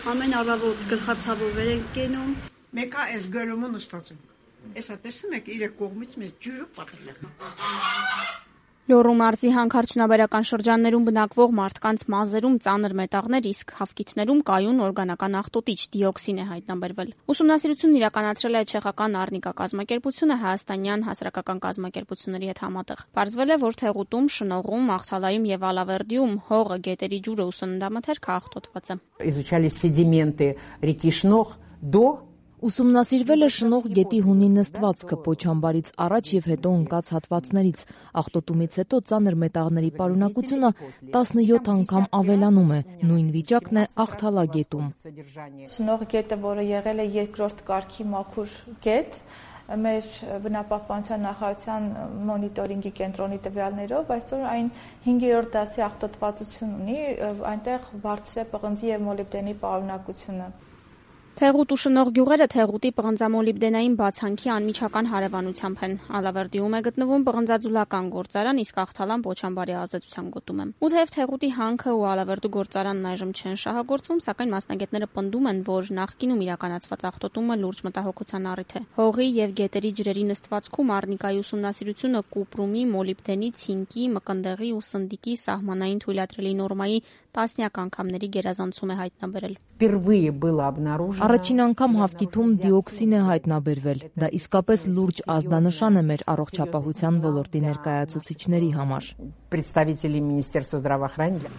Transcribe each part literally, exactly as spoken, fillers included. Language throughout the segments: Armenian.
Ամեն առավոտ գլխացավով ենք կենում։ Մեկը այս գլումը նստած ենք։ Այսա տեսնում եք իր կողմից մեզ ջուրը պատրել է։ Լոռու մարզի հանքարդյունաբերական շրջաններում բնակվող մարդկանց մազերում ծանր մետաղներ, իսկ հավկիթներում կայուն օրգանական աղտոտիչ դիոքսին է հայտնաբերվել։ Ուսումնասիրությունն իրականացրել է չեխական Արնիկա կազմակերպությունը հայաստանյան հասարակական կազմակերպությունների հետ համատեղ։ Պարզվել է, որ Թեղուտում, Շնողում, Աղթալայում եւ Ալավերդիում հողը, գետերի ջուրը ու սննդամթերքը աղտոտված է։ Изучали седименты реки Шнох до Ուսումնասիրվել է Շնող գետի հունի նստվածքը Պոչամբարից առաջ եւ հետո ընկած հատվածներից։ Աղտոտումից հետո ծանր մետաղների պարունակությունը տասնյոթ անգամ ավելանում է։ Նույն վիճակն է Աղթալա գետում։ Շնող գետը, որը եղել է երկրորդ կարգի մաքուր գետ, մեր բնապահպանության նախարարության մոնիտորինգի կենտրոնի տվյալներով այսօր այն հինգերորդ դասի աղտոտվածություն ունի, այնտեղ բարձր է պղնձի եւ մոլիբդենի պարունակությունը։ Թեղուտ ու Շնող գյուղերը Թեղուտի պղնձամոլիբդենային բացանքի անմիջական հարևանությամբ են։ Ալավերդիում է գտնվում պղնձաձուլական գործարան, իսկ Աղթալան Պոչամբարի ազդեցության գոտում է։ Ու թեև Թեղուտի հանքը ու Ալավերդու գործարանն այժմ չեն շահագործվում, սակայն մասնագետները պնդում են, որ նախկինում իրականացված աղտոտումը լուրջ մտահոգության առիթ է։ Հողի եւ գետերի ջրերի նստվածքում Արնիկայի ուսումնասիրությունը կուպրումի, մոլիբդենի, ցինկի, մկնդեղի ու սնդիկի սահմանային թույլատրելի նորմայի տասնյակ անգամների գերազանցում է հայտնաբերել։ Впервые было обнаружено Առաջին անգամ հավկիթում դիոքսին է հայտնաբերվել։ Դա իսկապես լուրջ ազդանշան է մեր առողջապահության ոլորտի ներկայացուցիչների համար։ Представители Министерства здравоохранения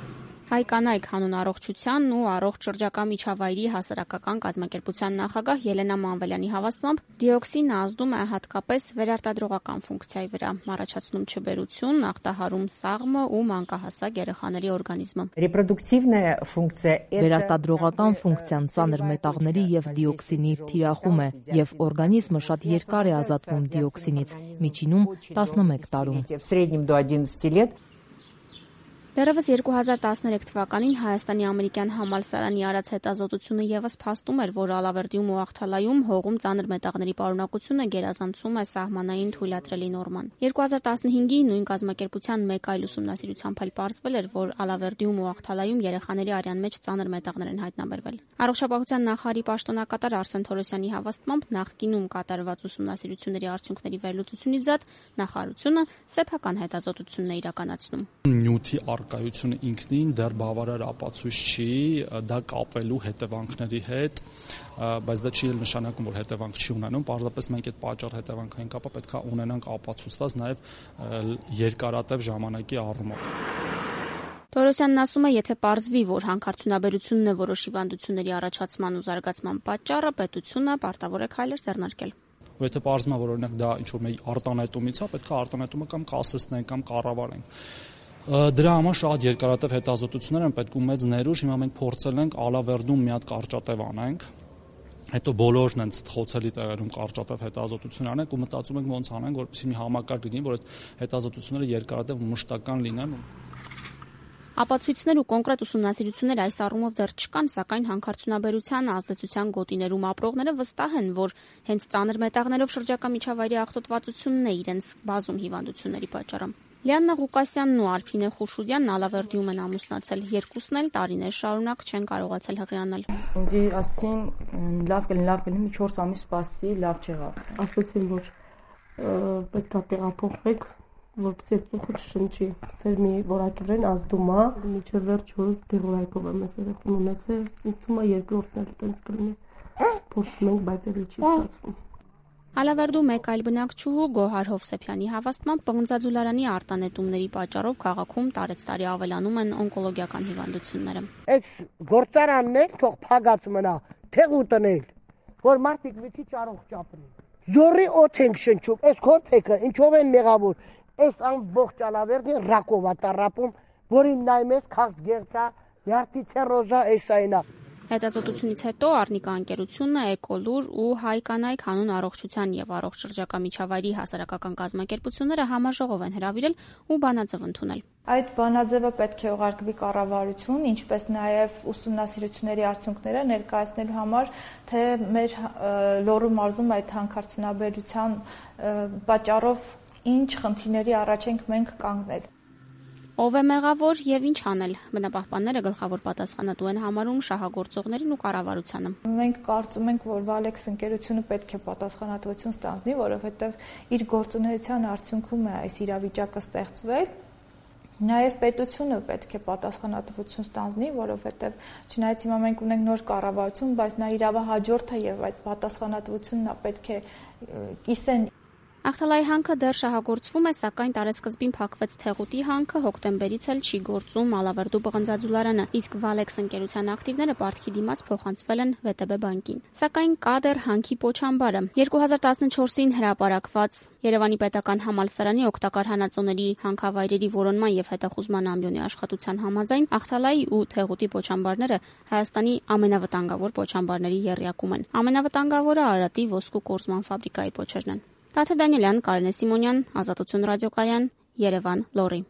Հայ կանայք հանուն առողջության ու առողջ շրջակա միջավայրի հասարակական կազմակերպության նախագահ Ելենա Մանվելյանի հավաստմամբ դիոքսինը ազդում է հատկապես վերարտադրողական ֆունկցիայի վրա, առաջացնում չբերություն, ախտահարում սաղմը ու մանկահասակ երեխաների օրգանիզմը։ Репродуктивная функция Վերարտադրողական ֆունկցիան ծանր մետաղների եւ դիոքսինի թիրախում է եւ օրգանիզմը շատ երկար է ազատվում դիոքսինից, միջինում տասնմեկ տարում։ в среднем до одиннадцати лет. Դեռևս երկու հազար տասներեք թվականին Հայաստանի ամերիկյան համալսարանի արած հետազոտությունը եւս փաստում էր, որ Ալավերդիում ու Աղթալայում հողում ծանր մետաղների պարունակությունը գերազանցում է սահմանային թույլատրելի նորման։ երկու հազար տասնհինգի նույն կազմակերպության մեկ այլ ուսումնասիրությամբ էլ պարզվել էր, որ Ալավերդիում ու Աղթալայում երեխաների արյան մեջ ծանր մետաղներ են հայտնաբերվել։ Առողջապահության նախարարի պաշտոնակատար Արսեն Թորոսյանի հավաստմամբ նախկինում կատարված ուսումնասիրությունների արդյունքների վերլուծությունից զատ նախարարությունը սեփական հետազոտությունն է իրականացնում։ Նյութի Կայությունը ինքնին դեռ բավարար ապացույց չի դա կապելու հետևանքների հետ, բայց դա չի նշանակում, որ հետևանք չի ունենում, պարզապես մենք այդ պատճառ հետևանքային կապը պետք է ունենանք ապացուցված նաև երկարատև ժամանակի առումով։ Թորոսյանն ասում է, եթե պարզվի, որ հանքարդյունաբերությունն է որոշ հիվանդությունների առաջացման ու զարգացման պատճառը, պետությունը պարտավոր է քայլեր ձեռնարկել։ Ու եթե պարզվում է, որ օրինակ դա ինչ-որ մի արտանետումից է, պետք է արտանետումը կամ կասեցնենք կամ կառավարենք։ Դրա համար շատ երկարատև հետազոտություններ են պետք ու մեծ ներուժ։ Հիմա մենք փորձել ենք Ալավերդում մի հատ կարճատև անենք, հետո բոլորն են խոցելի տեղերում կարճատև հետազոտություն անենք ու մտածում ենք ոնց անենք, որպեսզի մի համակարգ լինի, որ այդ հետազոտությունները երկարատև ու մշտական լինեն։ Ապացույցներ ու կոնկրետ ուսումնասիրություններ այս առումով դեռ չկան, սակայն հանքարդյունաբերության ազդեցության գոտիներում ապրողները վստահ են, որ հենց ծանր մետաղներով շրջակա միջավայրի աղտոտվածությունն է իրենց բազում հիվանդությունների պատճառը։ Լիաննա Ղուկասյանն ու Արփինե Խուշուդյանն Ալավերդիում են ամուսնացել, երկուսն էլ տարիներ շարունակ չեն կարողացել հղիանել։ Ինձ ասին լավ կլինի, լավ կլինի, մի չորս ամիս սպասի, լավ չեղավ։ Ասացին, որ պետք է տեղափոխվեք, որպեսզի ծուխը չշնչի։ Սեր մի որակի վրան ազդում է, մինչև վերջ հորս դեղորայքով եմ ես երեխան ունեցել, ինձ թվում է երկրորդն էլ տենց կլինի։ Փորձում ենք, բայց էլի չի ստացվում։ Ալավերդու մեկ այլ բնակչուհու Գոհար Հովսեփյանի հավաստմամբ պղնձաձուլարանի արտանետումների պատճառով քաղաքում տարեցտարի ավելանում են օնկոլոգիական հիվանդությունները։ Այս գործարանն էլ թող փագած մնա, Թեղուտն էլ, որ մարդիկ մի քիչ առողջ ապրեն։ Զորի օդ ենք շնչում, այս քորփեկը ինչով են մեղավոր։ Այս ամբողջ Ալավերդին ռակով է տառապում, որին նայում ես քաղց գեղցա, նյարդի ցերոզա էս այնա։ Հետազոտությունից հետո Արնիկա ընկերությունը, Էկոլուր ու Հայ կանայք հանուն առողջության եւ առողջ շրջակա միջավայրի հասարակական կազմակերպությունները համաժողով են հրավիրել ու բանաձև ընդունել։ Այդ բանաձևը պետք է ուղարկվի կառավարություն, ինչպես նաեւ ուսումնասիրությունների արդյունքները ներկայացնելու համար, թե մեր Լոռու մարզում այդ հանքարդյունաբերության պատճառով ինչ խնդիրների առաջ ենք մենք կանգնել։ Ով է մեղավոր եւ ինչ անել։ Բնապահպանները գլխավոր պատասխանատու են համարում շահագործողներին ու կառավարությանը։ Մենք կարծում ենք, որ Valex ընկերությունը պետք է պատասխանատվություն ստանձնի, որովհետեւ իր գործունեության արդյունքում է այս իրավիճակը ստեղծվել։ Նաև պետությունը պետք է պատասխանատվություն ստանձնի, որովհետև չնայած հիմա մենք ունենք նոր կառավարություն, բայց նա իրավահաջորդ է եւ այդ պատասխանատվությունն նա պետք է կիսեն։ Ախտալայի հանքը դեռ շահագործվում է, սակայն տարեսկզբին փակվեց Թեղուտի հանքը, հոկտեմբերից էլ չի գործում Ալավերդու բղնձաձուլարանը, իսկ Valex ընկերության ակտիվները պարտքի դիմաց փոխանցվել են վե տե բե բանկին։ Սակայն կա դեռ հանքի պոչամբարը։ երկու հազար տասնչորսին հրապարակված Երևանի պետական համալսարանի օգտակար հանածոների հանքավայրերի որոնման եւ հետախուզման ամբիոնի աշխատության համաձայն Ախտալայի ու Թեղուտի պոչամբարները Հայաստանի ամենավտանգավոր պոչամբարների եռյակում են։ Ամենավտանգավորը Արարատի ոսկու կորզման ֆաբրիկայի պոչերն են։ Տաթև Դանիելյան, Կարինե Սիմոնյան, Ազատություն ռադիոկայան, Երևան, Լոռի։